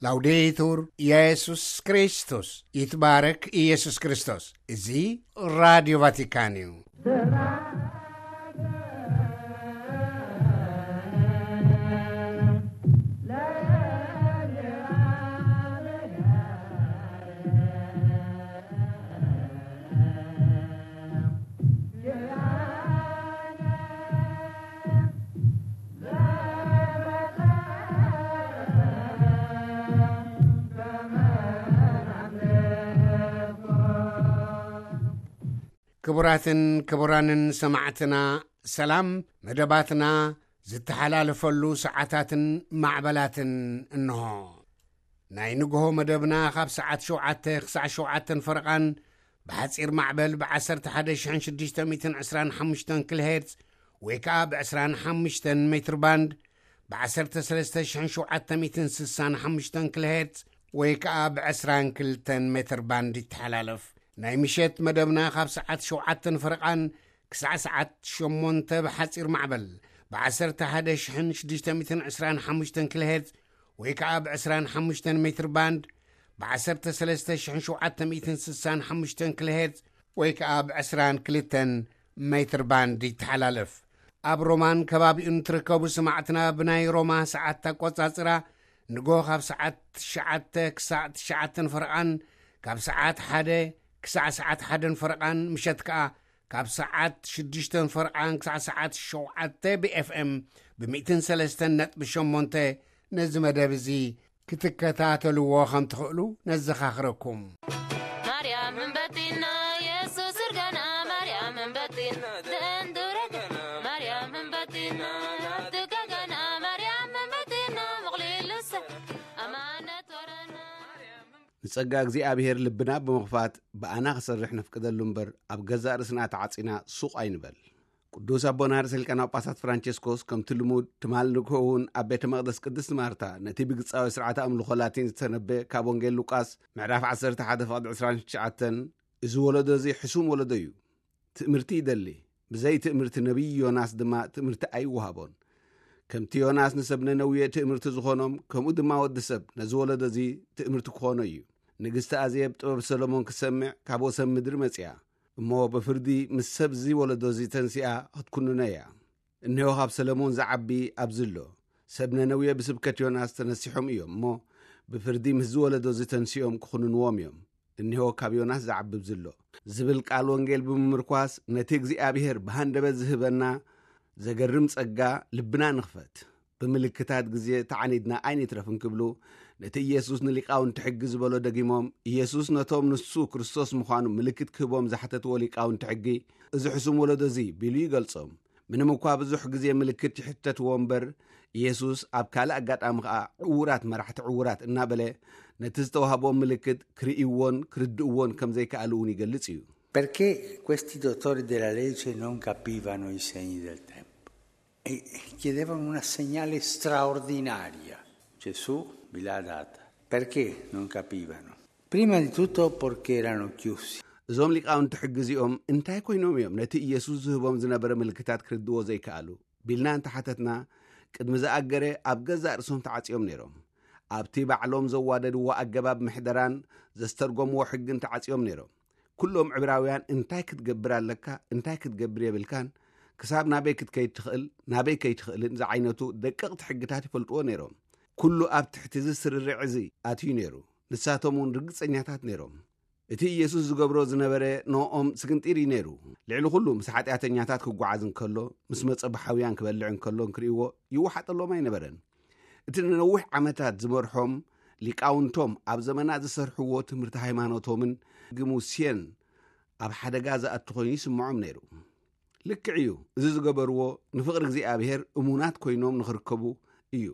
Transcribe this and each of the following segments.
ላውዴቱር ኢየሱስ ክርስቶስ፣ ይትባረክ ኢየሱስ ክርስቶስ። እዚ ራዲዮ ቫቲካን እዩ። ክቡራትን ክቡራንን ሰማዕትና፣ ሰላም። መደባትና ዝተሓላለፈሉ ሰዓታትን ማዕበላትን እንሆ። ናይ ንግሆ መደብና ካብ ሰዓት ሸውዓተ ክሳዕ ሸውዓተን ፈረቓን ብሓጺር ማዕበል ብ11,625 ኪሎ ሄርዝ ወይ ከኣ ብ25 ሜትር ባንድ ብ ዓሰርተ ሰለስተ ሽሕን ሸውዓተ ሚእትን ስሳን ሓሙሽተን ኪሎ ሄርዝ ወይ ከኣ ብ ዕስራን ክልተን ሜትር ባንድ ይተሓላለፍ። ናይ ምሸት መደብና ካብ ሰዓት ሸውዓተን ፈረቓን ክሳዕ ሰዓት ሸሞንተ ብሓጺር ማዕበል ብ11,625 ኪሎ ሄርዝ ወይ ከኣ ብ ዕስራን ሓሙሽተን ሜትር ባንድ ብ13,765 ኪሎ ሄርዝ ወይ ከኣ ብ ዕስራን ክልተን ሜትር ባንድ ይተሓላለፍ። ኣብ ሮማን ከባቢኡን ትርከቡ ሰማዕትና፣ ብናይ ሮማ ሰዓት ኣቆጻጽራ ንጎ ካብ ሰዓት ትሽዓተ ክሳዕ ትሽዓተን ፈረቓን፣ ካብ ሰዓት ሓደ ክሳዕ ሰዓት ሓደን ፈረቓን፣ ምሸት ከኣ ካብ ሰዓት ሽዱሽተን ፈረቓን ክሳዕ ሰዓት ሸውዓተ ብ ኤፍ ኤም ብ ሚእትን ሰለስተን ነጥቢ ሸሞንተ ነዚ መደብ እዚ ክትከታተልዎ ከም ትኽእሉ ነዘኻኽረኩም። ማርያም እምበቲና የሱስ እርጋና፣ ማርያም እምበቲና ደንዱረገ፣ ማርያም እምበቲና ትጋጋና፣ ማርያም እምበቲና ምቕሊሉሰ ኣማነት ወረና። ንጸጋ እግዚኣብሔር ልብና ብምኽፋት ብኣና ክሰርሕ ነፍቅደሉ እምበር፣ ኣብ ገዛእ ርእስና ተዓጺና ሱቕ ኣይንበል። ቅዱስ ኣቦና ርእሰ ሊቃነ ጳጳሳት ፍራንቸስኮስ ከምቲ ልሙድ ትማል ንግሆ እውን ኣብ ቤተ መቕደስ ቅድስቲ ማርታ ነቲ ብግጻዊ ስርዓተ ኣምልኾ ላቲን ዝተነበ ካብ ወንጌል ሉቃስ ምዕራፍ ዓሰርተ ሓደ ፍቕዲ ዕስራን ትሽዓተን፣ "እዚ ወለዶ እዚ ሕሱም ወለዶ እዩ። ትእምርቲ ይደሊ። ብዘይ ትእምርቲ ነቢይ ዮናስ ድማ ትእምርቲ ኣይወሃቦን። ከምቲ ዮናስ ንሰብ ነነውየ ትእምርቲ ዝኾኖም፣ ከምኡ ድማ ወዲ ሰብ ነዚ ወለዶ እዚ ትእምርቲ ክኾኖ እዩ። ንግስቲ ኣዜብ ጥበብ ሰሎሞን ክትሰምዕ ካብ ወሰን ምድሪ መጺኣ። እሞ ብፍርዲ ምስ ሰብ እዚ ወለዶ እዚ ተንሲኣ ክትኩንኖ እያ። እነሆ ካብ ሰለሞን ዝዓቢ ኣብዚ ኣሎ። ሰብ ነነውየ ብስብከት ዮናስ ተነሲሖም እዮም እሞ ብፍርዲ ምስዚ ወለዶ እዚ ተንሲኦም ክኹንንዎም እዮም። እነሆ ካብ ዮናስ ዝዓቢ ኣብዚ ኣሎ" ዝብል ቃል ወንጌል ብምምርኳስ ነቲ እግዚኣብሔር ብሃንደበት ዝህበና ዘገርም ጸጋ ልብና ንኽፈት። ብምልክታት ግዜ ተዓኒድና ኣይንትረፍ እንክብሉ ነቲ ኢየሱስ ንሊቃውንቲ ሕጊ ዝበሎ ደጊሞም፣ ኢየሱስ ነቶም ንሱ ክርስቶስ ምዃኑ ምልክት ክህቦም ዝሓተትዎ ሊቃውንቲ ሕጊ፣ "እዚ ሕሱም ወለዶ እዚ" ቢሉ ይገልጾም። ምንም እኳ ብዙሕ ግዜ ምልክት ይሕተትዎ እምበር፣ ኢየሱስ ኣብ ካልእ ኣጋጣሚ ኸኣ "ዕዉራት መራሕቲ ዕዉራት" እናበለ ነቲ ዝተዋህቦም ምልክት ክርእይዎን ክርድእዎን ከም ዘይከኣሉ እውን ይገልጽ እዩ። Perché questi dottori della legge non capivano i segni del tempo e chiedevano una segnale straordinaria. Gesù vi l'ha data. Perché non capivano? Prima di tutto perché erano chiusi. እዞም ሊቃውንቲ ሕጊ እዚኦም እንታይ ኮይኖም እዮም ነቲ ኢየሱስ ዝህቦም ዝነበረ ምልክታት ክርድዎ ዘይከኣሉ? ቢልና እንተሓተትና፣ ቅድሚ ዝኣገረ ኣብ ገዛእ ርእሶም ተዓጽዮም ነይሮም። ኣብቲ ባዕሎም ዘዋደድዎ ኣገባብ ምሕደራን ዘስተርጎምዎ ሕግን ተዓጽዮም ነይሮም። ኩሎም ዕብራውያን እንታይ ክትገብር ኣለካ፣ እንታይ ክትገብር የብልካን፣ ክሳብ ናበይ ክትከይድ ትኽእል፣ ናበይ ከይትኽእልን ዝዓይነቱ ደቀቕቲ ሕግታት ይፈልጥዎ ነይሮም። ኩሉ ኣብ ትሕቲ እዚ ስርርዕ እዚ ኣትዩ ነይሩ። ንሳቶም እውን ርግጸኛታት ነይሮም። እቲ ኢየሱስ ዝገብሮ ዝነበረ ንኦም ስግንጢር እዩ ነይሩ። ልዕሊ ኩሉ ምስ ሓጢኣተኛታት ክጓዓዝ እንከሎ፣ ምስ መጸባሓውያን ክበልዕ እንከሎ እንክርእይዎ ይወሓጠሎም ኣይነበረን። እቲ ንነዊሕ ዓመታት ዝመርሖም ሊቃውንቶም ኣብ ዘመናት ዝሰርሕዎ ትምህርቲ ሃይማኖቶምን ግሙስየን ኣብ ሓደጋ ዝኣቱ ኮይኑ ይስምዖም ነይሩ። ልክዕ እዩ፣ እዚ ዝገበርዎ ንፍቕሪ እግዚኣብሔር እሙናት ኮይኖም ንኽርከቡ እዩ።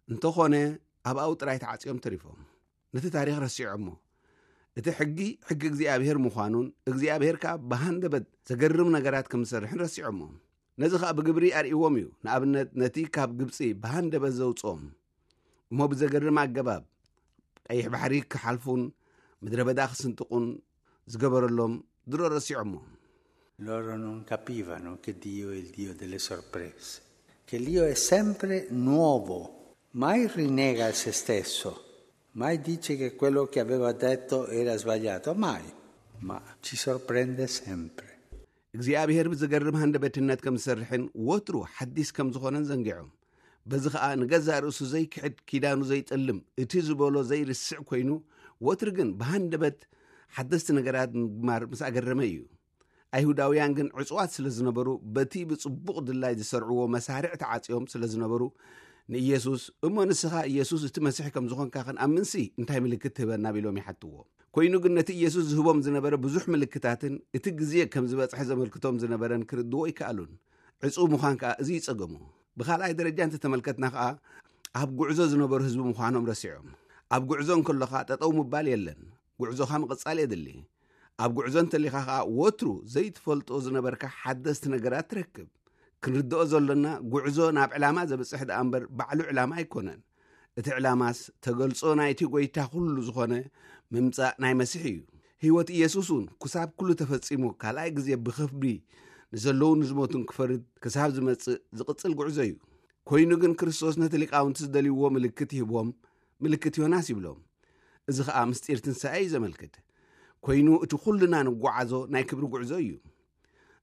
እንተኾነ ኣብኣው ጥራይ ተዓጽዮም ተሪፎም። ነቲ ታሪኽ ረሲዖሞ። እቲ ሕጊ፣ ሕጊ እግዚኣብሔር ምዃኑን እግዚኣብሔር ከኣ ብሃንደበት ዘገርም ነገራት ከም ዝሰርሕን ረሲዖሞ። ነዚ ኸኣ ብግብሪ ኣርእይዎም እዩ። ንኣብነት፣ ነቲ ካብ ግብጺ ብሃንደበት ዘውጽኦም እሞ ብዘገርም ኣገባብ ቀይሕ ባሕሪ ክሓልፉን ምድረ በዳ ክስንጥቑን ዝገበረሎም ድሮ ረሲዖሞ። Loro non capivano che Dio è il Dio delle sorprese, che Dio è sempre nuovo. Mai rinnega se stesso, mai dice che quello che aveva detto era sbagliato, mai, ma ci sorprende sempre. እግዚኣብሔር ብዝገርም ሃንደበትነት ከም ዝሰርሕን ወትሩ ሓዲስ ከም ዝኾነን ዘንጊዖም። በዚ ኸኣ ንገዛእ ርእሱ ዘይክሕድ፣ ኪዳኑ ዘይጠልም፣ እቲ ዝበሎ ዘይርስዕ ኮይኑ፣ ወትሩ ግን ብሃንደበት ሓደስቲ ነገራት ምግማር ምስ ኣገረመ እዩ። ኣይሁዳውያን ግን ዕጹዋት ስለ ዝነበሩ፣ በቲ ብጽቡቕ ድላይ ዝሰርዕዎ መሳርዕ ተዓጽዮም ስለ ዝነበሩ፣ ንኢየሱስ፣ "እሞ ንስኻ ኢየሱስ እቲ መሲሕ ከም ዝኾንካ ክንኣምንሲ እንታይ ምልክት ትህበና?" ቢሎም ይሓትዎ። ኮይኑ ግን ነቲ ኢየሱስ ዝህቦም ዝነበረ ብዙሕ ምልክታትን እቲ ግዜ ከም ዝበጽሐ ዘመልክቶም ዝነበረን ክርድዎ ኣይከኣሉን። ዕጹው ምዃን ከኣ እዚ ይጸገሙ። ብኻልኣይ ደረጃ እንተተመልከትና ከኣ ኣብ ጉዕዞ ዝነበሩ ህዝቢ ምዃኖም ረሲዖም። ኣብ ጉዕዞ እንከሎኻ ጠጠው ምባል የለን። ጉዕዞኻ ምቕጻል የድሊ። ኣብ ጉዕዞ እንተሊኻ ከኣ ወትሩ ዘይትፈልጦ ዝነበርካ ሓደስቲ ነገራት ትረክብ። ክንርድኦ ዘሎና ጉዕዞ ናብ ዕላማ ዘብጽሕ ደኣ እምበር ባዕሉ ዕላማ ኣይኮነን። እቲ ዕላማስ ተገልጾ ናይቲ ጐይታ ኩሉ ዝኾነ ምምጻእ ናይ መሲሕ እዩ። ህይወት ኢየሱስ እውን ክሳብ ኩሉ ተፈጺሙ ካልኣይ ግዜ ብኽብሪ ንዘለዉን ንዝሞቱን ክፈርድ ክሳብ ዝመጽእ ዝቕጽል ጉዕዞ እዩ። ኮይኑ ግን ክርስቶስ ነቲ ሊቃውንቲ ዝደልይዎ ምልክት ይህቦም፣ ምልክት ዮናስ ይብሎም። እዚ ኸኣ ምስጢር ትንሳኤ እዩ ዘመልክት። ኮይኑ እቲ ኩልና ንጓዓዞ ናይ ክብሪ ጉዕዞ እዩ።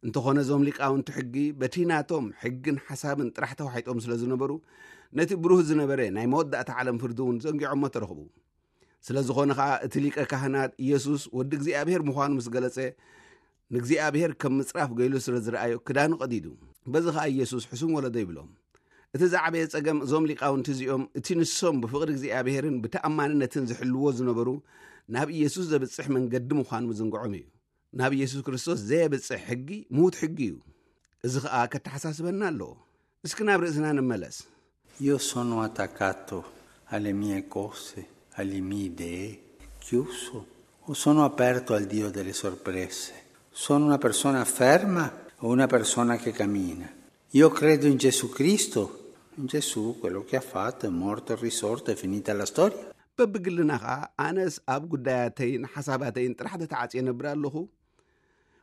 እንተኾነ እዞም ሊቃውንቲ ሕጊ በቲ ናቶም ሕግን ሓሳብን ጥራሕ ተዋሒጦም ስለ ዝነበሩ፣ ነቲ ብሩህ ዝነበረ ናይ መወዳእታ ዓለም ፍርዲ እውን ዘንጊዖሞ ተረኽቡ። ስለ ዝኾነ ኸኣ እቲ ሊቀ ካህናት ኢየሱስ ወዲ እግዚኣብሔር ምዃኑ ምስ ገለጸ፣ ንእግዚኣብሔር ከም ምጽራፍ ገይሉ ስለ ዝረኣዮ ክዳኑ ቀዲዱ። በዚ ኸኣ ኢየሱስ ሕሱም ወለዶ ይብሎም። እቲ ዝዓበየ ጸገም እዞም ሊቃውንቲ እዚኦም እቲ ንሶም ብፍቕሪ እግዚኣብሔርን ብተኣማንነትን ዝሕልዎ ዝነበሩ ናብ ኢየሱስ ዘብጽሕ መንገዲ ምዃኑ ምዝንግዖም እዩ። ናብ ኢየሱስ ክርስቶስ ዘየብጽሕ ሕጊ ምዉት ሕጊ እዩ። እዚ ኸኣ ከተሓሳስበና ኣለዎ። እስኪ ናብ ርእስና ንመለስ። Io sono attaccato alle mie cose, alle mie idee, chiuso, o sono aperto al Dio delle sorprese? Sono una persona ferma o una persona che cammina? Io credo in Gesù Cristo, in Gesù, quello che ha fatto, è morto, è risorto, è finita la storia. በብግልና ኸኣ ኣነስ ኣብ ጉዳያተይን ሓሳባተይን ጥራሕ ተተዓጽየ ነብር ኣለኹ?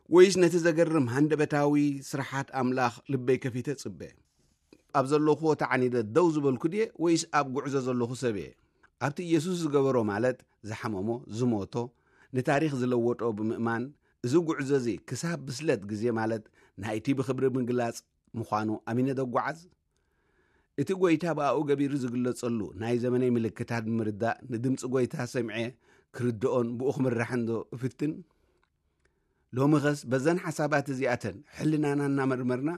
ወይስ ነቲ ዘገርም ሃንደበታዊ ስራሓት ኣምላኽ ልበይ ከፊተ ጽበ? ኣብ ዘለኹዎ ተዓኒደ ደው ዝበልኩ ድየ ወይስ ኣብ ጉዕዞ ዘለኹ ሰብ እየ? ኣብቲ ኢየሱስ ዝገበሮ ማለት ዝሓመሞ፣ ዝሞቶ፣ ንታሪኽ ዝለወጦ ብምእማን፣ እዚ ጉዕዞ እዚ ክሳብ ብስለት ግዜ ማለት ናይቲ ብኽብሪ ምግላጽ ምዃኑ ኣሚነ ደጓዓዝ? እቲ ጐይታ ብኣኡ ገቢሩ ዝግለጸሉ ናይ ዘመነይ ምልክታት ብምርዳእ ንድምጺ ጐይታ ሰምዐ ክርድኦን ብኡ ክምራሕን ዶ እፍትን? ሎሚ ኸስ በዘን ሓሳባት እዚኣተን ሕልናና እናመርመርና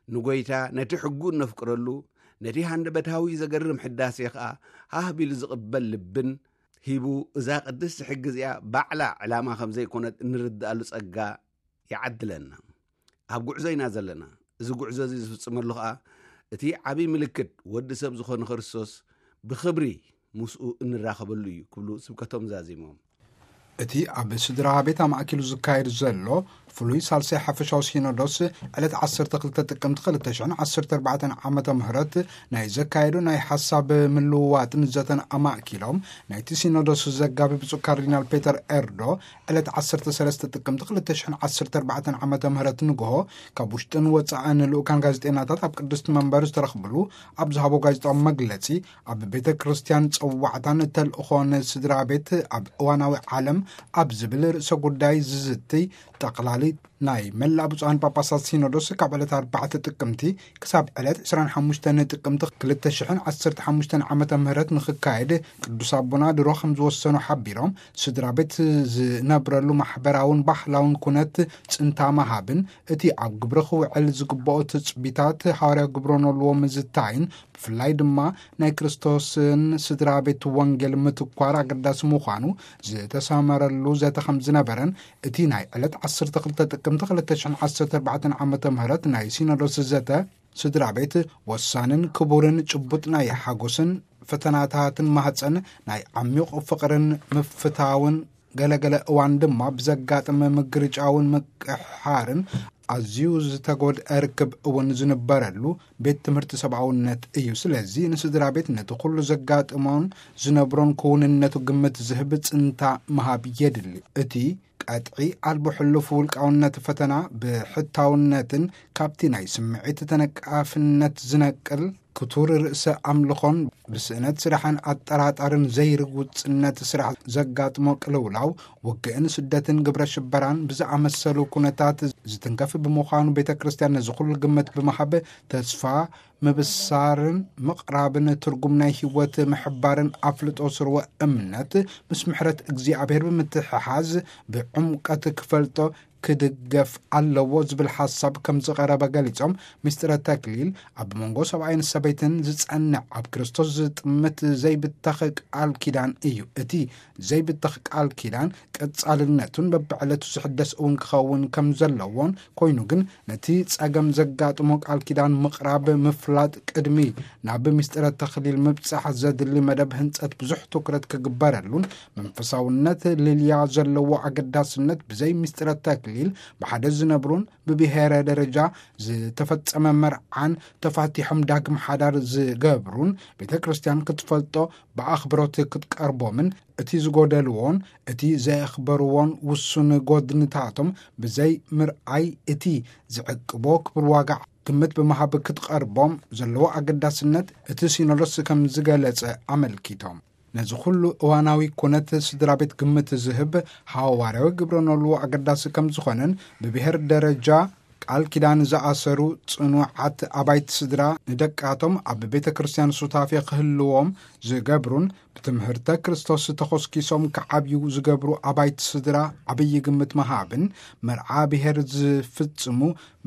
ንጐይታ ነቲ ሕጉ እነፍቅረሉ፣ ነቲ ሃንደበታዊ ዘገርም ሕዳሴ ኸኣ ሃህ ቢሉ ዝቕበል ልብን ሂቡ እዛ ቅድስቲ ሕጊ እዚኣ ባዕላ ዕላማ ከም ዘይኮነት እንርድኣሉ ጸጋ ይዓድለና። ኣብ ጉዕዞ ኢና ዘለና። እዚ ጉዕዞ እዚ ዝፍጽመሉ ኸኣ እቲ ዓብዪ ምልክት ወዲ ሰብ ዝኾነ ክርስቶስ ብኽብሪ ምስኡ እንራኸበሉ እዩ ክብሉ ስብከቶም ዛዚሞም። እቲ ኣብ ስድራ ቤት ኣማእኪሉ ዝካየድ ዘሎ ፍሉይ ሳልሳይ ሓፈሻዊ ሲኖዶስ ዕለት ዓሰርተ ክልተ ጥቅምቲ ክልተ ሽሕን ዓሰርተ ኣርባዕተን ዓመተ ምህረት ናይ ዘካየዱ ናይ ሓሳብ ምልውዋጥን ዘተን ኣማእኪሎም ናይቲ ሲኖዶስ ዘጋቢ ብፁዕ ካርዲናል ፔተር ኤርዶ ዕለት ዓሰርተ ሰለስተ ጥቅምቲ ክልተ ሽሕን ዓሰርተ ኣርባዕተን ዓመተ ምህረት ንግሆ ካብ ውሽጥን ወጻእን ልኡካን ጋዜጠኛታት ኣብ ቅድስቲ መንበር ዝተረኽብሉ ኣብ ዝሃቦ ጋዜጣዊ መግለጺ ኣብ ቤተ ክርስቲያን ጸዋዕታን ተልእኾን ስድራ ቤት ኣብ እዋናዊ ዓለም ኣብ ዝብል ርእሰ ጉዳይ ዝዝትይ ጠቕላሊ ናይ መላእ ብፁዓን ጳጳሳት ሲኖዶስ ካብ ዕለት ኣርባዕተ ጥቅምቲ ክሳብ ዕለት ዕስራን ሓሙሽተን ጥቅምቲ ክልተ ሽሕን ዓሰርተ ሓሙሽተን ዓመተ ምህረት ንኽካየድ ቅዱስ ኣቦና ድሮ ከም ዝወሰኑ ሓቢሮም፣ ስድራ ቤት ዝነብረሉ ማሕበራውን ባህላውን ኩነት ጽንታ ምሃብን እቲ ኣብ ግብሪ ክውዕል ዝግብኦ ትጽቢታት ሃዋርያ ግብረ ኖልዎ ምዝታይን ብፍላይ ድማ ናይ ክርስቶስን ስድራ ቤት ወንጌል ምትኳር ኣገዳሲ ምዃኑ ዝተሰመረሉ ዘተ ከም ዝነበረን እቲ ናይ ዕለት ዓሰርተ ክልተ ጥቅምቲ ክልተ ሽሕን ዓሰርተ ኣርባዕተን ዓመተ ምህረት ናይ ሲኖዶስ ዘተ ስድራ ቤት ወሳንን ክቡርን ጭቡጥ ናይ ሓጎስን ፈተናታትን ማህፀን ናይ ዓሚቕ ፍቕርን ምፍታውን ገለገለ እዋን ድማ ብዘጋጥም ምግርጫውን ምቅሕሓርን ኣዝዩ ዝተጎድአ ርክብ እውን ዝንበረሉ ቤት ትምህርቲ ሰብኣውነት እዩ። ስለዚ ንስድራ ቤት ነቲ ኩሉ ዘጋጥሞን ዝነብሮን ክውንነቱ ግምት ዝህብ ጽንታ ምሃብ የድሊ። እቲ ቀጥዒ ኣልቦ ሕሉፍ ውልቃውነት ፈተና ብሕታውነትን ካብቲ ናይ ስምዒት ተነቃፍነት ዝነቅል ክቱር ርእሰ ኣምልኾን ብስእነት ስራሕን ኣጠራጣርን ዘይርጉጽነት ስራሕ ዘጋጥሞ ቅልውላው፣ ውግእን ስደትን ግብረ ሽበራን ብዝኣመሰሉ ኩነታት ዝትንከፍ ብምዃኑ፣ ቤተ ክርስቲያን ነዚ ኩሉ ግምት ብምሃብ ተስፋ ምብሳርን ምቕራብን ትርጉም ናይ ህይወት ምሕባርን ኣፍልጦ ስርወ እምነት ምስ ምሕረት እግዚኣብሔር ብምትሕሓዝ ብዕምቀት ክፈልጦ ክድገፍ ኣለዎ ዝብል ሓሳብ ከም ዝቐረበ ገሊጾም፣ ምስጢረ ተክሊል ኣብ መንጎ ሰብኣይን ሰበይትን ዝጸንዕ ኣብ ክርስቶስ ዝጥምት ዘይብተኽ ቃል ኪዳን እዩ። እቲ ዘይብተኽ ቃል ኪዳን ቀጻልነቱን በብዕለቱ ዝሕደስ እውን ክኸውን ከም ዘለዎን፣ ኮይኑ ግን ነቲ ጸገም ዘጋጥሞ ቃል ኪዳን ምቕራብ ምፍላጥ ቅድሚ ናብ ምስጢረ ተክሊል ምብጻሕ ዘድሊ መደብ ህንጸት ብዙሕ ትኩረት ክግበረሉን መንፈሳውነት ልልያ ዘለዎ ኣገዳስነት ብዘይ ምስጢረ ተክሊል ብሓደ ዝነብሩን ብብሔረ ደረጃ ዝተፈጸመ መርዓን ተፋቲሖም ዳግም ሓዳር ዝገብሩን ቤተ ክርስቲያን ክትፈልጦ ብኣኽብሮት ክትቀርቦምን እቲ ዝጎደልዎን እቲ ዘየኽበርዎን ውሱን ጎድንታቶም ብዘይ ምርኣይ እቲ ዝዕቅቦ ክብር ዋጋ ግምት ብምሃብ ክትቐርቦም ዘለዎ ኣገዳስነት እቲ ሲኖዶስ ከም ዝገለጸ ኣመልኪቶም። ነዚ ኩሉ እዋናዊ ኩነት ስድራ ቤት ግምት ዝህብ ሓዋርያዊ ግብረ ኖልዎ ኣገዳሲ ከም ዝኾነን ብብሔር ደረጃ ቃል ኪዳን ዝኣሰሩ ጽኑዓት ኣባይቲ ስድራ ንደቃቶም ኣብ ቤተ ክርስቲያን ሱታፌ ክህልዎም ዝገብሩን ብትምህርተ ክርስቶስ ተኾስኪሶም ክዓብዩ ዝገብሩ ኣባይቲ ስድራ ዓብዪ ግምት ምሃብን መርዓ ብሔር ዝፍጽሙ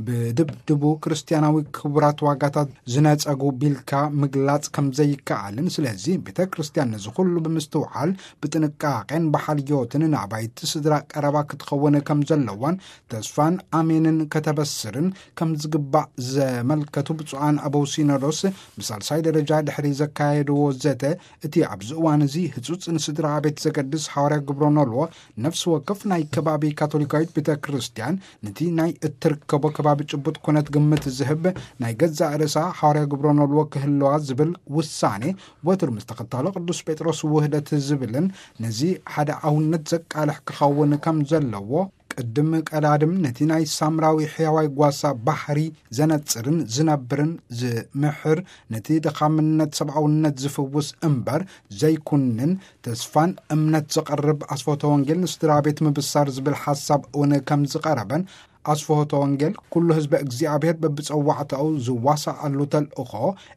ብድብድቡ ክርስቲያናዊ ክቡራት ዋጋታት ዝነጸጉ ቢልካ ምግላጽ ከም ዘይከኣልን፣ ስለዚ ቤተ ክርስቲያን ነዚ ኩሉ ብምስትውዓል ብጥንቃቄን ብሓልዮትን ንኣባይቲ ስድራ ቀረባ ክትኸውን ከም ዘለዋን ተስፋን ኣሜንን ከተበስርን ከም ዝግባእ ዘመልከቱ ብፁዓን ኣበው ሲኖዶስ ብሳልሳይ ደረጃ ድሕሪ ዘካየድዎ ዘተ፣ እቲ ኣብዚ እዋን እዚ ህጹጽ ንስድራ ቤት ዘገድስ ሓዋርያ ግብረ ኖልዎ ነፍሲ ወከፍ ናይ ከባቢ ካቶሊካዊት ቤተ ክርስቲያን ነቲ ናይ እትርከቦ ከባቢ ጭቡጥ ኩነት ግምት ዝህብ ናይ ገዛእ ርእሳ ሓዋርያ ግብረ ኖልዎ ክህልዋ ዝብል ውሳኔ ወትሩ ምስ ተኸታሎ ቅዱስ ጴጥሮስ ውህደት ዝብልን ነዚ ሓደ ኣውነት ዘቃልሕ ክኸውን ከም ዘለዎ ቅድም ቀዳድም ነቲ ናይ ሳምራዊ ሕያዋይ ጓሳ ባህሪ ዘነጽርን ዝነብርን ዝምሕር ነቲ ድኻምነት ሰብኣውነት ዝፍውስ እምበር ዘይኩንን ተስፋን እምነት ዘቕርብ ኣስፎተ ወንጌል ንስድራ ቤት ምብሳር ዝብል ሓሳብ እውን ከም ዝቐረበን ኣስፍሆተ ወንጌል ኩሉ ህዝበ እግዚኣብሔር በብጸዋዕታኡ ዝዋሳኣሉ ተልእኾ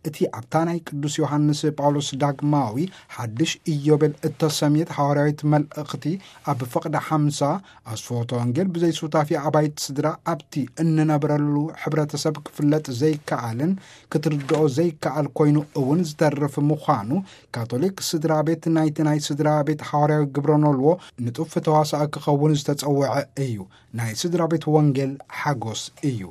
እቲ ኣብታ ናይ ቅዱስ ዮሃንስ ጳውሎስ ዳግማዊ ሓድሽ ኢዮቤል እተሰምየት ሃዋርያዊት መልእኽቲ ኣብ ፍቕዲ ሓምሳ ኣስፍሆተ ወንጌል ብዘይ ሱታፊ ኣባይቲ ስድራ ኣብቲ እንነብረሉ ሕብረተሰብ ክፍለጥ ዘይከኣልን ክትርድኦ ዘይከኣል ኮይኑ እውን ዝተርፍ ምዃኑ ካቶሊክ ስድራ ቤት ናይቲ ናይ ስድራ ቤት ሃዋርያዊ ግብረ ኖልዎ ንጡፍ ተዋሳኢ ክኸውን ዝተጸውዐ እዩ። ናይ ስድራ ቤት ወንጌል ሓጎስ እዩ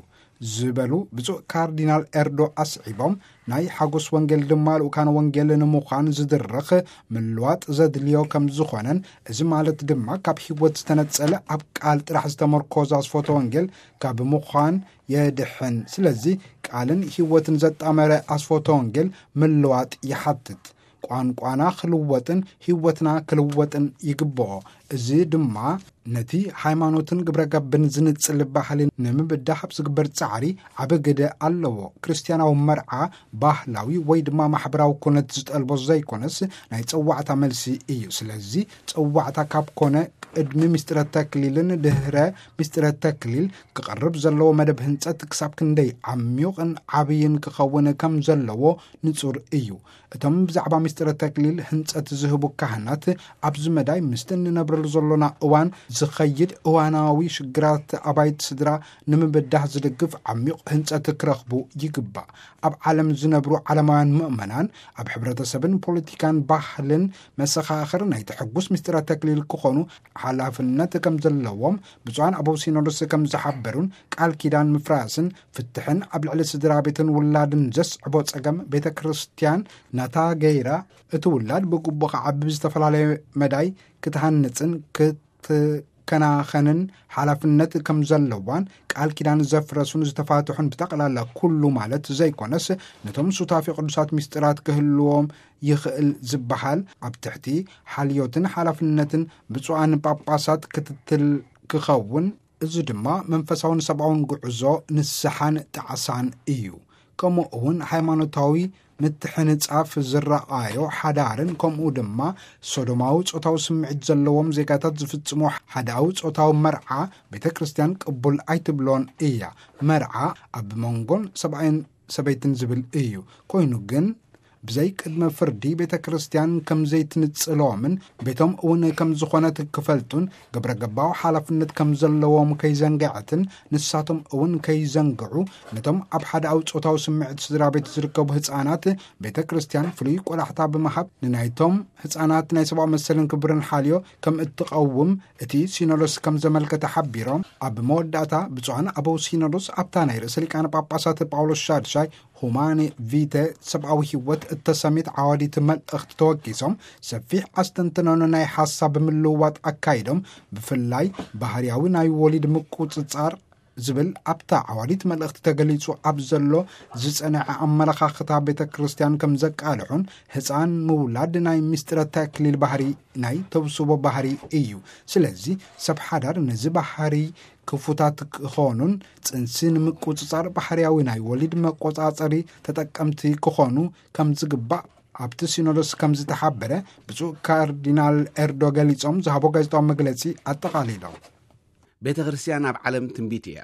ዝበሉ ብፁዕ ካርዲናል ኤርዶ ኣስዒቦም ናይ ሓጎስ ወንጌል ድማ ልኡካን ወንጌል ንምዃን ዝድርኽ ምልዋጥ ዘድልዮ ከም ዝኾነን እዚ ማለት ድማ ካብ ህይወት ዝተነጸለ ኣብ ቃል ጥራሕ ዝተመርኮዘ ኣስፎተ ወንጌል ካብ ምዃን የድሕን። ስለዚ ቃልን ህይወትን ዘጣመረ ኣስፎተ ወንጌል ምልዋጥ ይሓትት። ቋንቋና ክልወጥን ህይወትና ክልወጥን ይግብኦ። እዚ ድማ ነቲ ሃይማኖትን ግብረ ገብን ዝንጽል ባህሊ ንምብዳህ ኣብ ዝግበር ጻዕሪ ዓቢ ግደ ኣለዎ። ክርስትያናዊ መርዓ ባህላዊ ወይ ድማ ማሕበራዊ ኩነት ዝጠልቦ ዘይኮነስ ናይ ጸዋዕታ መልሲ እዩ። ስለዚ ጸዋዕታ ካብ ኮነ ቅድሚ ምስጢረ ተክሊልን ድህረ ምስጢረ ተክሊል ክቐርብ ዘለዎ መደብ ህንጸት ክሳብ ክንደይ ዓሚዩቕን ዓብይን ክኸውን ከም ዘለዎ ንጹር እዩ። እቶም ብዛዕባ ምስጢረ ተክሊል ህንጸት ዝህቡ ካህናት ኣብዚ መዳይ ምስቲ እንነብረሉ ዘሎና እዋን ዝኸይድ እዋናዊ ሽግራት ኣባይቲ ስድራ ንምብዳህ ዝድግፍ ዓሚቕ ህንጸት ክረኽቡ ይግባእ። ኣብ ዓለም ዝነብሩ ዓለማውያን ምእመናን ኣብ ሕብረተሰብን ፖለቲካን ባህልን መሰኻኽር ናይቲ ሕጉስ ምስጢረ ተክሊል ክኾኑ ሓላፍነት ከም ዘለዎም ብፁዓን ኣበው ሲኖዶስ ከም ዝሓበሩን ቃል ኪዳን ምፍራስን ፍትሕን ኣብ ልዕሊ ስድራ ቤትን ውላድን ዘስዕቦ ጸገም ቤተ ክርስቲያን ናታ ገይራ እቲ ውላድ ብግቡእ ክዓቢ ብዝተፈላለየ መዳይ ክትሃንጽን ክትከናኸንን ሓላፍነት ከም ዘለዋን ቃል ኪዳን ዘፍረሱን ዝተፋትሑን ብጠቕላላ ኩሉ ማለት ዘይኮነስ ነቶም ሱታፊ ቅዱሳት ምስጢራት ክህልዎም ይኽእል ዝበሃል ኣብ ትሕቲ ሓልዮትን ሓላፍነትን ብፁዓን ጳጳሳት ክትትል ክኸውን፣ እዚ ድማ መንፈሳውን ሰብኣውን ጉዕዞ ንስሓን ጣዕሳን እዩ። ከምኡ እውን ሃይማኖታዊ ምትሕንጻፍ ዝረኣዮ ሓዳርን ከምኡ ድማ ሶዶማዊ ጾታዊ ስምዒት ዘለዎም ዜጋታት ዝፍጽሞ ሓዳዊ ጾታዊ መርዓ ቤተ ክርስቲያን ቅቡል ኣይትብሎን እያ። መርዓ ኣብ መንጎን ሰብኣይን ሰበይትን ዝብል እዩ። ኮይኑ ግን ብዘይ ቅድመ ፍርዲ ቤተ ክርስቲያን ከም ዘይትንጽሎምን ቤቶም እውን ከም ዝኾነት ክፈልጡን ግብረ ገባዊ ሓላፍነት ከም ዘለዎም ከይዘንግዐትን ንሳቶም እውን ከይዘንግዑ ነቶም ኣብ ሓዳዊ ጾታዊ ስምዒት ስድራ ቤት ዝርከቡ ህፃናት ቤተ ክርስቲያን ፍሉይ ቆላሕታ ብምሃብ ንናይቶም ህፃናት ናይ ሰብኣዊ መሰልን ክብርን ሓልዮ ከም እትቐውም እቲ ሲኖዶስ ከም ዘመልከተ ሓቢሮም፣ ኣብ መወዳእታ ብፁዓን ኣበው ሲኖዶስ ኣብታ ናይ ርእሰ ሊቃነ ጳጳሳት ጳውሎስ ሻድሻይ ሁማኒ ቪተ ሰብኣዊ ህይወት እተሰሚት ዓዋዲት መልእኽቲ ተወኪሶም ሰፊሕ ኣስተንትኖን ናይ ሓሳብ ምልውዋጥ ኣካይዶም፣ ብፍላይ ባህርያዊ ናይ ወሊድ ምቁጽጻር ዝብል ኣብታ ዓዋዲት መልእኽቲ ተገሊጹ ኣብ ዘሎ ዝጸንዐ ኣመለኻኽታ ቤተ ክርስቲያን ከም ዘቃልሑን ህፃን ምውላድ ናይ ምስጢረ ተክሊል ባህሪ ናይ ተውስቦ ባህሪ እዩ። ስለዚ ሰብ ሓዳር ነዚ ባህሪ ክፉታት ክኾኑን ጽንሲ ንምቁጽጻር ባህርያዊ ናይ ወሊድ መቆጻጸሪ ተጠቀምቲ ክኾኑ ከም ዝግባእ ኣብቲ ሲኖዶስ ከም ዝተሓበረ ብፁዕ ካርዲናል ኤርዶ ገሊጾም ዝሃቦ ጋዜጣዊ መግለጺ ኣጠቓሊሎም። ቤተ ክርስቲያን ኣብ ዓለም ትንቢት እያ።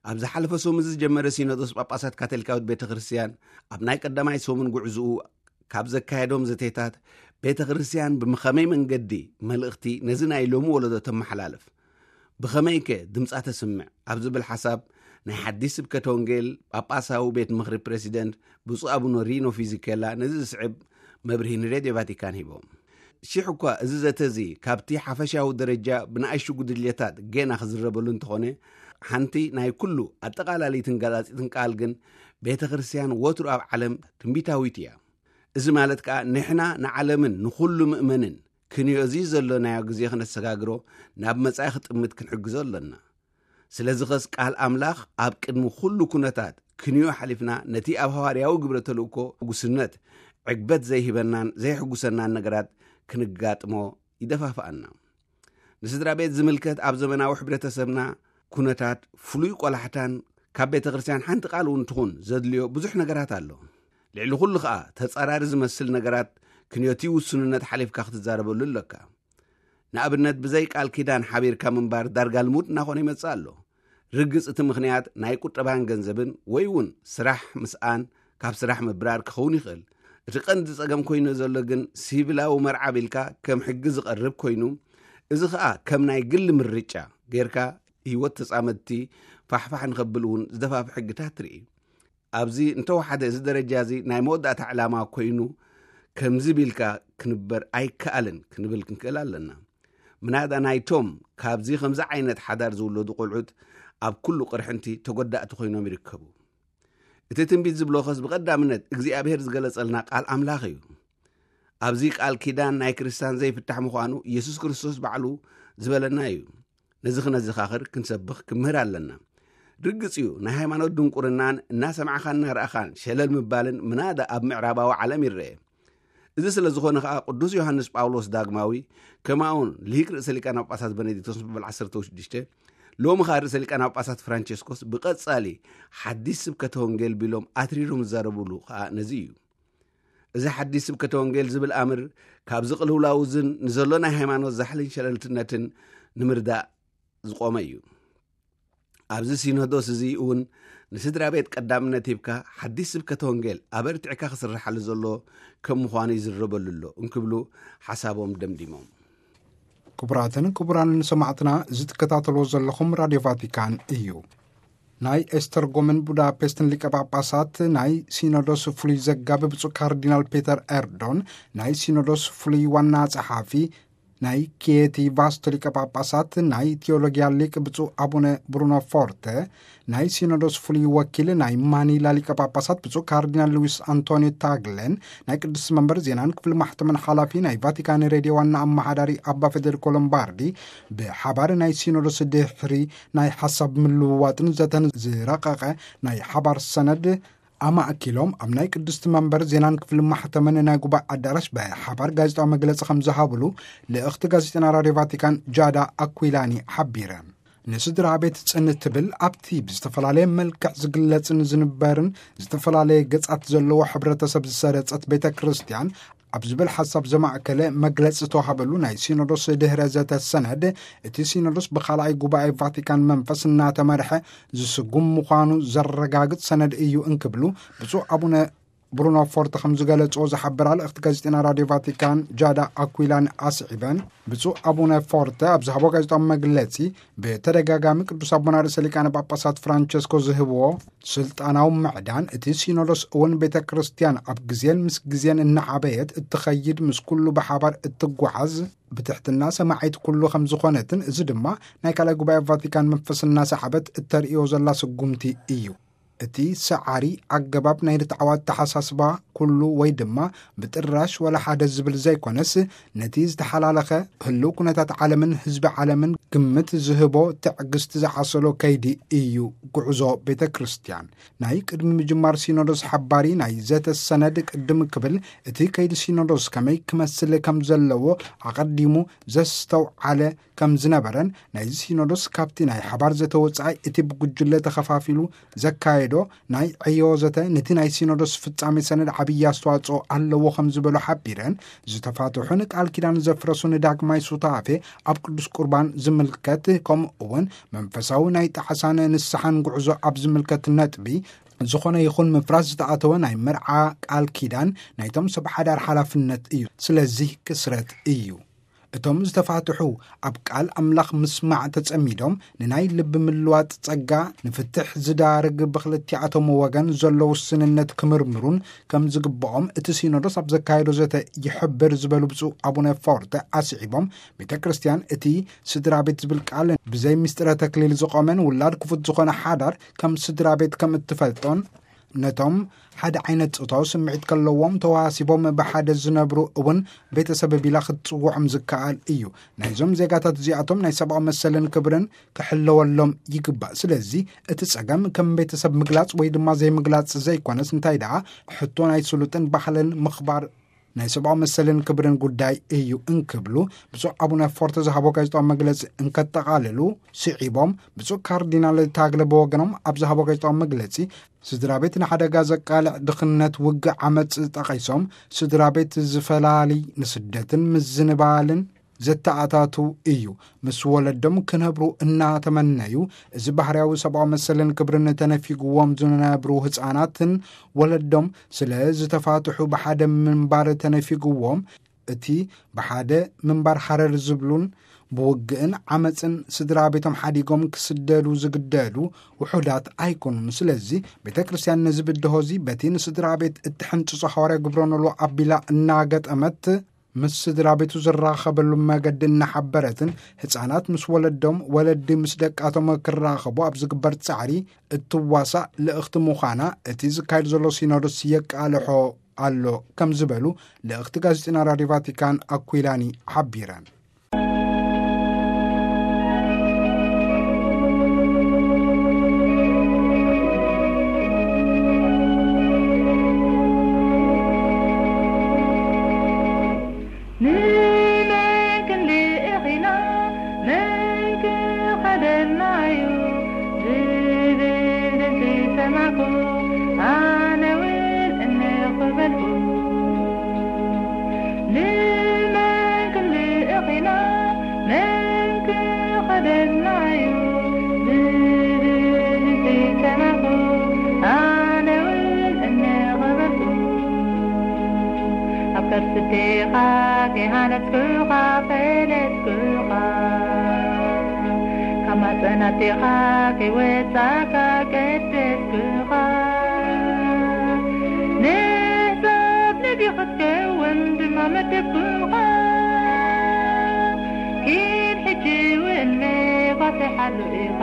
ኣብ ዝሓለፈ ሰሙን ዝጀመረ ሲኖዶስ ጳጳሳት ካቶሊካዊት ቤተ ክርስቲያን ኣብ ናይ ቀዳማይ ሰሙን ጉዕዝኡ ካብ ዘካየዶም ዘተታት ቤተ ክርስቲያን ብምኸመይ መንገዲ መልእኽቲ ነዚ ናይ ሎሚ ወለዶ ተመሓላልፍ፣ ብኸመይከ ድምጻ ተስምዕ ኣብ ዝብል ሓሳብ ናይ ሓዲስ ስብከተ ወንጌል ጳጳሳዊ ቤት ምኽሪ ፕሬዚደንት ብፁዕ ኣቡነ ሪኖ ፊዚኬላ ነዚ ዝስዕብ መብርሂ ንሬድዮ ቫቲካን ሂቦም። ሽሕ እኳ እዚ ዘተ እዚ ካብቲ ሓፈሻዊ ደረጃ ብንኣሽቱ ጉድልየታት ጌና ክዝረበሉ እንተኾነ፣ ሓንቲ ናይ ኩሉ ኣጠቓላሊትን ገላጺትን ቃል ግን ቤተ ክርስቲያን ወትሩ ኣብ ዓለም ትንቢታዊት እያ። እዚ ማለት ከኣ ንሕና ንዓለምን ንኹሉ ምእመንን ክንዮ እዚ ዘሎናዮ ግዜ ክነሰጋግሮ ናብ መጻኢ ክጥምት ክንሕግዞ ኣሎና። ስለዚ ኸስ ቃል ኣምላኽ ኣብ ቅድሚ ኩሉ ኩነታት ክንዮ ሓሊፍና ነቲ ኣብ ሃዋርያዊ ግብረ ተልእኮ ሕጉስነት ዕግበት ዘይህበናን ዘይሕጉሰናን ነገራት ክንጋጥሞ ይደፋፍኣና። ንስድራ ቤት ዝምልከት ኣብ ዘመናዊ ሕብረተሰብና ኩነታት ፍሉይ ቆላሕታን ካብ ቤተ ክርስቲያን ሓንቲ ቃል እውን ትኹን ዘድልዮ ብዙሕ ነገራት ኣሎ። ልዕሊ ኩሉ ኸኣ ተጻራሪ ዝመስል ነገራት ክንዮቲ ውሱንነት ሓሊፍካ ክትዛረበሉ ኣለካ። ንኣብነት ብዘይ ቃል ኪዳን ሓቢርካ ምንባር ዳርጋ ልሙድ እናኾነ ይመጽእ ኣሎ። ርግጽ እቲ ምኽንያት ናይ ቁጠባን ገንዘብን ወይ እውን ስራሕ ምስኣን ካብ ስራሕ ምብራር ክኸውን ይኽእል። እቲ ቀንዲ ጸገም ኮይኑ ዘሎ ግን ሲቪላዊ መርዓ ቢልካ ከም ሕጊ ዝቐርብ ኮይኑ፣ እዚ ኸኣ ከም ናይ ግሊ ምርጫ ጌርካ ህይወት ተጻመድቲ ፋሕፋሕ ንኸብል እውን ዝደፋፍ ሕግታት ትርኢ። ኣብዚ እንተወሓደ እዚ ደረጃ እዚ ናይ መወዳእታ ዕላማ ኮይኑ ከምዚ ቢልካ ክንበር ኣይከኣልን ክንብል ክንክእል ኣለና። ምናዳ ናይቶም ካብዚ ከምዚ ዓይነት ሓዳር ዝውለዱ ቆልዑት ኣብ ኩሉ ቅርሕንቲ ተጎዳእቲ ኮይኖም ይርከቡ። እቲ ትንቢት ዝብሎ ኸስ ብቐዳምነት እግዚኣብሔር ዝገለጸልና ቃል ኣምላኽ እዩ። ኣብዚ ቃል ኪዳን ናይ ክርስቲያን ዘይፍታሕ ምዃኑ ኢየሱስ ክርስቶስ ባዕሉ ዝበለና እዩ። ነዚ ክነዘኻኽር ክንሰብኽ ክምህር ኣለና። ርግጽ እዩ ናይ ሃይማኖት ድንቁርናን እናሰማዕኻን እናረኣኻን ሸለል ምባልን ምናዳ ኣብ ምዕራባዊ ዓለም ይረአ። እዚ ስለ ዝኾነ ኸኣ ቅዱስ ዮሃንስ ጳውሎስ ዳግማዊ ከማኡን ልሂቅ ርእሰ ሊቃነ ጳጳሳት በነዲክቶስ በበል ዓሰርተ ሽዱሽተ ሎሚ ኸኣ ርእሰ ሊቃነ ጳጳሳት ፍራንቸስኮስ ብቐጻሊ ሓዲስ ስብከተ ወንጌል ቢሎም ኣትሪሮም ዝዛረቡሉ ኸኣ ነዚ እዩ። እዚ ሓዲስ ስብከተ ወንጌል ዝብል ኣምር ካብዚ ቅልውላው እዝን ንዘሎ ናይ ሃይማኖት ዛሕልን ሸለልትነትን ንምርዳእ ዝቖመ እዩ። ኣብዚ ሲኖዶስ እዚ እውን ንስድራ ቤት ቀዳምነት ሂብካ ሓዲስ ስብከተ ወንጌል ኣበርቲዕካ ክስርሓሉ ዘሎ ከም ምዃኑ ይዝረበሉ ኣሎ እንክብሉ ሓሳቦም ደምዲሞም። ክቡራትን ክቡራንን ሰማዕትና እዚ ትከታተልዎ ዘለኹም ራድዮ ቫቲካን እዩ። ናይ ኤስተርጎምን ቡዳፔስትን ሊቀ ጳጳሳት ናይ ሲኖዶስ ፍሉይ ዘጋቢ ብፁዕ ካርዲናል ፔተር ኤርዶን፣ ናይ ሲኖዶስ ፍሉይ ዋና ጸሓፊ ናይ ኪየቲ ቫስቶ ሊቀ ጳጳሳት ናይ ቴዎሎጊያ ሊቅ ብፁዕ ኣቡነ ብሩኖ ፎርተ፣ ናይ ሲኖዶስ ፍሉይ ወኪል ናይ ማኒላ ሊቀ ጳጳሳት ብፁዕ ካርዲናል ሉዊስ ኣንቶኒዮ ታግለን፣ ናይ ቅዱስ መንበር ዜናን ክፍሊ ማሕተምን ሓላፊ ናይ ቫቲካን ሬድዮ ዋና ኣመሓዳሪ ኣባ ፌዴሪኮ ሎምባርዲ ብሓባር ናይ ሲኖዶስ ድሕሪ ናይ ሓሳብ ምልውዋጥን ዘተን ዝረቐቐ ናይ ሓባር ሰነድ ኣማእኪሎም ኣብ ናይ ቅድስቲ መንበር ዜናን ክፍሊ ማሕተምን ናይ ጉባኤ ኣዳራሽ ብሓባር ጋዜጣዊ መግለጺ ከም ዝሃብሉ ልእኽቲ ጋዜጠና ራድዮ ቫቲካን ጃዳ ኣኩላኒ ሓቢረ። ንስድራ ቤት ጽን ትብል ኣብቲ ብዝተፈላለየ መልክዕ ዝግለጽን ዝንበርን ዝተፈላለየ ገጻት ዘለዎ ሕብረተሰብ ዝሰረጸት ቤተ ክርስቲያን ኣብ ዝብል ሓሳብ ዘማእከለ መግለጺ ዝተዋሃበሉ ናይ ሲኖዶስ ድህረ ዘተ ሰነድ፣ እቲ ሲኖዶስ ብኻልኣይ ጉባኤ ቫቲካን መንፈስ እናተመርሐ ዝስጉም ምዃኑ ዘረጋግጽ ሰነድ እዩ እንክብሉ ብፁዕ ኣቡነ ብሩኖ ፎርተ ከም ዝገለጽዎ ዝሓበራ ልእኽቲ ጋዜጠና ራድዮ ቫቲካን ጃዳ ኣኩላኒ ኣስዒበን፣ ብፁዕ ኣቡነ ፎርተ ኣብ ዝሃቦ ጋዜጣዊ መግለጺ ብተደጋጋሚ ቅዱስ ኣቦና ርእሰ ሊቃነ ጳጳሳት ፍራንቸስኮ ዝህብዎ ስልጣናዊ ምዕዳን፣ እቲ ሲኖዶስ እውን ቤተ ክርስቲያን ኣብ ግዜን ምስ ግዜን እናዓበየት እትኸይድ፣ ምስ ኩሉ ብሓባር እትጓዓዝ ብትሕትና ሰማዒት ኩሉ ከም ዝኾነትን፣ እዚ ድማ ናይ ካልኣይ ጉባኤ ቫቲካን መንፈስ እናሰዓበት እተርእዮ ዘላ ስጉምቲ እዩ። እቲ ሰዓሪ ኣገባብ ናይ ርትዓዊ ኣተሓሳስባ ኩሉ ወይ ድማ ብጥራሽ ወላ ሓደ ዝብል ዘይኮነስ፣ ነቲ ዝተሓላለኸ ህልው ኩነታት ዓለምን ህዝቢ ዓለምን ግምት ዝህቦ ትዕግስቲ ዝዓሰሎ ከይዲ እዩ ጉዕዞ ቤተ ክርስቲያን። ናይ ቅድሚ ምጅማር ሲኖዶስ ሓባሪ ናይ ዘተ ሰነድ ቅድም ክብል፣ እቲ ከይዲ ሲኖዶስ ከመይ ክመስል ከም ዘለዎ ኣቐዲሙ ዘስተውዓለ ከም ዝነበረን፣ ናይዚ ሲኖዶስ ካብቲ ናይ ሓባር ዘተ ወጻኢ እቲ ብጉጅለ ተኸፋፊሉ ዘካየዶ ናይ ዕዮ ዘተ ነቲ ናይ ሲኖዶስ ፍጻሜ ሰነድ ዓብዪ ኣስተዋጽኦ ኣለዎ ከም ዝበሉ ሓቢረን፣ ዝተፋትሑን ቃል ኪዳን ዘፍረሱን ዳግማይ ሱታፌ ኣብ ቅዱስ ቁርባን ዝምልከት፣ ከምኡ እውን መንፈሳዊ ናይ ጣዕሳን ንስሓን ጉዕዞ ኣብ ዝምልከት ነጥቢ፣ ዝኾነ ይኹን ምፍራስ ዝተኣተወ ናይ መርዓ ቃል ኪዳን ናይቶም ሰብ ሓዳር ሓላፍነት እዩ። ስለዚህ ክስረት እዩ። እቶም ዝተፋትሑ ኣብ ቃል ኣምላኽ ምስማዕ ተጸሚዶም፣ ንናይ ልቢ ምልዋጥ ጸጋ፣ ንፍትሕ ዝዳርግ ብኽልቲኣቶም ወገን ዘሎ ውስንነት ክምርምሩን ከም ዝግብኦም እቲ ሲኖዶስ ኣብ ዘካየዶ ዘተ ይሕብር ዝበሉ ብፁዕ ኣቡነ ፎርተ ኣስዒቦም፣ ቤተ ክርስቲያን እቲ ስድራ ቤት ዝብል ቃል ብዘይ ምስጢረ ተክሊል ዝቖመን ውላድ ክፉት ዝኾነ ሓዳር ከም ስድራ ቤት ከም እትፈልጦን፣ ነቶም ሓደ ዓይነት ጾታዊ ስምዒት ከለዎም ተዋሲቦም ብሓደ ዝነብሩ እውን ቤተሰብ ቢላ ክትጽውዖም ዝከኣል እዩ። ናይዞም ዜጋታት እዚኣቶም ናይ ሰብኣዊ መሰልን ክብርን ክሕለወሎም ይግባእ። ስለዚ እቲ ጸገም ከም ቤተሰብ ምግላጽ ወይ ድማ ዘይምግላጽ ዘይኮነስ፣ እንታይ ደኣ ሕቶ ናይ ስሉጥን ባህልን ምኽባር ናይ ሰብኣዊ መሰልን ክብርን ጉዳይ እዩ እንክብሉ ብፁዕ ኣቡነ ፎርተ ዝሃቦ ጋዜጣዊ መግለጺ እንከጠቓልሉ፣ ስዒቦም ብፁዕ ካርዲናል ታግለ ብወገኖም ኣብ ዝሃቦ ጋዜጣዊ መግለጺ፣ ስድራ ቤት ንሓደጋ ዘቃልዕ ድኽነት፣ ውግእ፣ ዓመጽ ጠቒሶም፣ ስድራ ቤት ዝፈላሊ ንስደትን ምዝንባልን ዘተኣታቱ እዩ። ምስ ወለዶም ክነብሩ እናተመነዩ፣ እዚ ባህርያዊ ሰብኣዊ መሰልን ክብርን ተነፊግዎም ዝነብሩ ህጻናትን ወለዶም ስለ ዝተፋትሑ ብሓደ ምንባር ተነፊግዎም፣ እቲ ብሓደ ምንባር ሃረር ዝብሉን ብውግእን ዓመጽን ስድራ ቤቶም ሓዲጎም ክስደዱ ዝግደዱ ውሑዳት ኣይኮኑን። ስለዚ ቤተ ክርስቲያን ነዚ ብድሆ እዚ በቲ ንስድራ ቤት እትሕንጽጾ ሃዋርያ ግብረ ኖልዎ ኣቢላ እናገጠመት፣ ምስ ስድራ ቤቱ ዝራኸበሉ መገዲ እናሓበረትን፣ ህጻናት ምስ ወለዶም፣ ወለዲ ምስ ደቃቶም ክራኸቡ ኣብ ዝግበር ጻዕሪ እትዋሳእ ልእኽቲ ምዃና እቲ ዝካየድ ዘሎ ሲኖዶስ የቃልሖ ኣሎ ከም ዝበሉ ልእኽቲ ጋዜጠና ራድዮ ቫቲካን ኣኩላኒ ሓቢረን። ንመን ክንልእኽ ኢና? መን ክኸደና እዩ? ዝብል ድምፂ ሰማዕኩ፣ ኣነ እውን እንኽ በልኩ። ንመን ክንልእኽ ኢና? መን ክኸደና እዩ? ዝብል ድምፂ ሰማዕኩ፣ ኣነ እውን እንኽ በልኩ። ኣብ ከርሲ ኣዴኻ ከይሃነጽኩኻ ፈለጥኩኻ፣ ካብ ማህጸን ኣዴኻ ከይወጻእካ ቀደስኩኻ። ንህጻብ ነቢ ክትከውን ድማ መደብኩኻ። ኪድ ሕጂ እውን መባጽሓሉ ኢኻ።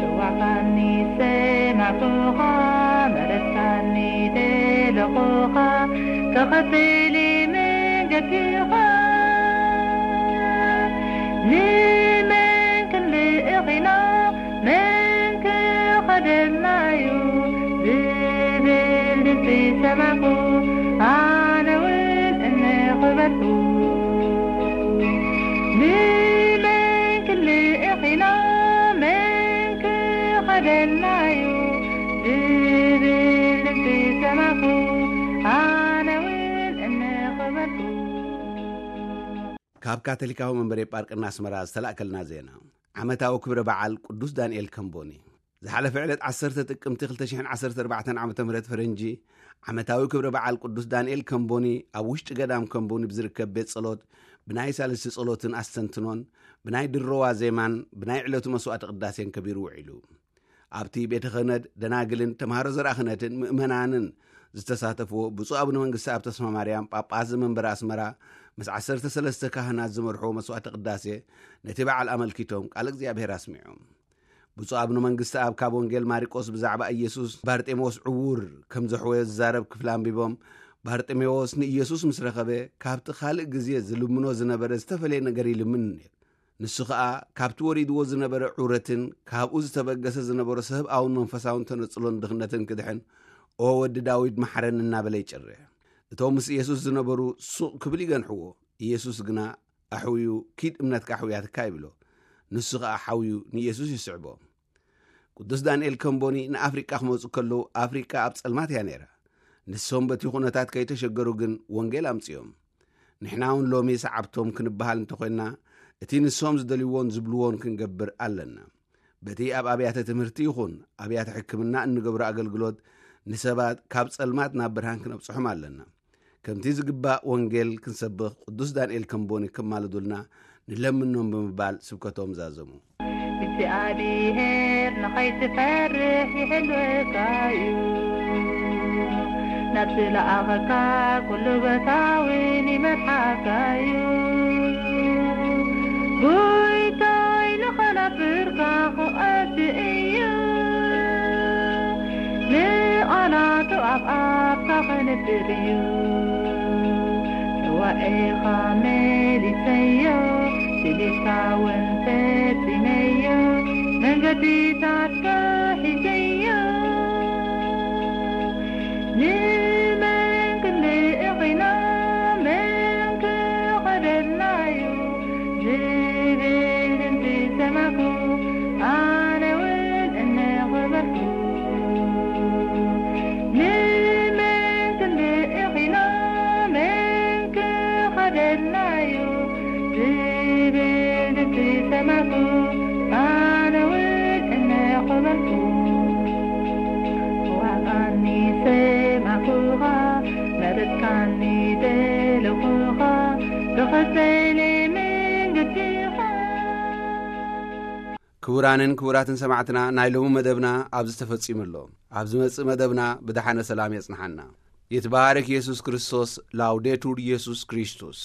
ጽዋዕካኒ ሰማዕኩኻ፣ መረጽካኒ ደለኹኻ፣ ተኸተሊ መንገድኻ። ንመን ክንልእኽ ኢና? መን ክኸደልና እዩ? ዝብል ድምፂ ሰማዕኩ፣ ኣነ እውን እንኽ በልኩ። ንመን ክንልእኽ ካብ ካቶሊካዊ መንበረ ጳርቅና ኣስመራ ዝተላእከልና ዜና። ዓመታዊ ክብረ በዓል ቅዱስ ዳንኤል ከምቦኒ። ዝሓለፈ ዕለት ዓሰርተ ጥቅምቲ ክልተ ሽሕን ዓሰርተ ኣርባዕተን ዓመተ ምህረት ፈረንጂ፣ ዓመታዊ ክብረ በዓል ቅዱስ ዳንኤል ከምቦኒ ኣብ ውሽጢ ገዳም ከምቦኒ ብዝርከብ ቤት ጸሎት ብናይ ሳልስቲ ጸሎትን ኣስተንትኖን፣ ብናይ ድሮ ዋዜማን ብናይ ዕለቱ መስዋዕቲ ቅዳሴን ከቢሩ ውዒሉ። ኣብቲ ቤተ ክህነት ደናግልን ተምሃሮ ዘርኣ ክህነትን ምእመናንን ዝተሳተፍዎ ብፁዕ ኣቡነ መንግስቲ ኣብ ተስፋ ማርያም ጳጳስ ዘመንበረ ኣስመራ ምስ ዓሰርተ ሰለስተ ካህናት ዝመርሕዎ መስዋዕቲ ቅዳሴ ነቲ በዓል ኣመልኪቶም ቃል እግዚኣብሔር ኣስሚዖም። ብፁዕ ኣቡነ መንግስቲ ኣብ ካብ ወንጌል ማሪቆስ ብዛዕባ ኢየሱስ ባርጤሜዎስ ዕዉር ከም ዘሕወዮ ዝዛረብ ክፍሊ ኣንቢቦም፣ ባርጤሜዎስ ንኢየሱስ ምስ ረኸበ ካብቲ ካልእ ግዜ ዝልምኖ ዝነበረ ዝተፈለየ ነገር ይልምን ነይሩ። ንሱ ኸኣ ካብቲ ወሪድዎ ዝነበረ ዑረትን ካብኡ ዝተበገሰ ዝነበሮ ሰብኣውን መንፈሳውን ተነጽሎን ድኽነትን ክድሕን፣ "ኦ ወዲ ዳዊት መሓረን" እናበለ ይጭርሕ። እቶም ምስ ኢየሱስ ዝነበሩ ሱቕ ክብል ይገንሕዎ። ኢየሱስ ግና ኣሕውዩ፣ "ኪድ እምነትካ ኣሕውያትካ" ይብሎ። ንሱ ኸኣ ሓውዩ ንኢየሱስ ይስዕቦ። ቅዱስ ዳንኤል ከምቦኒ ንኣፍሪቃ ክመጹ ከለዉ ኣፍሪቃ ኣብ ጸልማት እያ ነይራ። ንሶም በቲ ኩነታት ከይተሸገሩ ግን ወንጌል ኣምጽኦም። ንሕና እውን ሎሚ ሰዓብቶም ክንበሃል እንተኾይንና፣ እቲ ንሶም ዝደልይዎን ዝብልዎን ክንገብር ኣለና። በቲ ኣብ ኣብያተ ትምህርቲ ይኹን ኣብያተ ሕክምና እንገብሮ ኣገልግሎት ንሰባት ካብ ጸልማት ናብ ብርሃን ክነብጽሖም ኣለና። ከምቲ ዝግባእ ወንጌል ክንሰብኽ ቅዱስ ዳንኤል ከምቦኒ ከማልዱልና ንለምኖም ብምባል ስብከቶም ዛዘሙ። እግዚኣብሔር ንኸይትፈርሕ ይሕልወካ እዩ። ናብ ዝለኣኸካ ኩሉ ቦታ እውን ይመርሓካ እዩ። ጎይታይ ንኸነብርካ ክቐድ እዩ። ንቓላቱ ኣብ ኣፍካ ከንብር እዩ። ጽዋኤኻ መሊሰዮ፣ ስሊካ እውን ፈጺመዮ፣ መንገድታትካ ሒዘዮ። ንመን ክንልእኽ ኢና፣ መን ክኸደልናዩ? ዝብል ድምፂ ሰማዕኩ፣ ኣነ እውን እናኾበልኩ። ንመን ክንልእኽ ኢና፣ መን ክኸደልናዩ? ዝብል ድምፂ ሰማዕኩ፣ ኣነ እውን እናኾበልኩ። ዋጣኒ ሰማዕኩኻ፣ መረፅካኒ ደለኹኻ፣ ተኸተለ መንገድኻ። ክቡራንን ክቡራትን ሰማዕትና፣ ናይ ሎሚ መደብና ኣብዚ ተፈጺሙ ኣሎ። ኣብ ዝመጽእ መደብና ብደሓነ ሰላም የጽንሓና። ይትባረክ ኢየሱስ ክርስቶስ። ላውዴቱር ኢየሱስ ክርስቶስ።